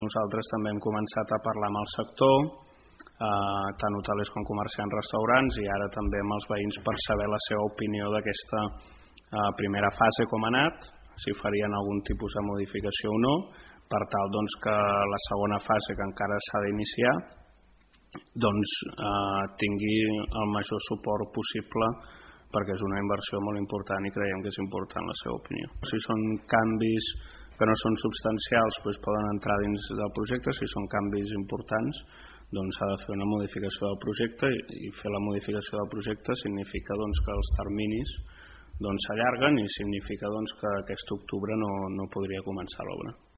Nosaltres també hem començat a parlar amb el sector, tant hotelers com comerciants, restaurants, i ara també amb els veïns per saber la seva opinió d'aquesta primera fase, com ha anat, si farien algun tipus de modificació o no, per tal que la segona fase, que encara s'ha d'iniciar, tingui el major suport possible, perquè és una inversió molt important i creiem que és important la seva opinió. Si són canvis que no són substancials, poden entrar dins del projecte. Si són canvis importants, s'ha de fer una modificació del projecte, i fer la modificació del projecte significa que els terminis s'allarguen i significa que aquest octubre no podria començar l'obra.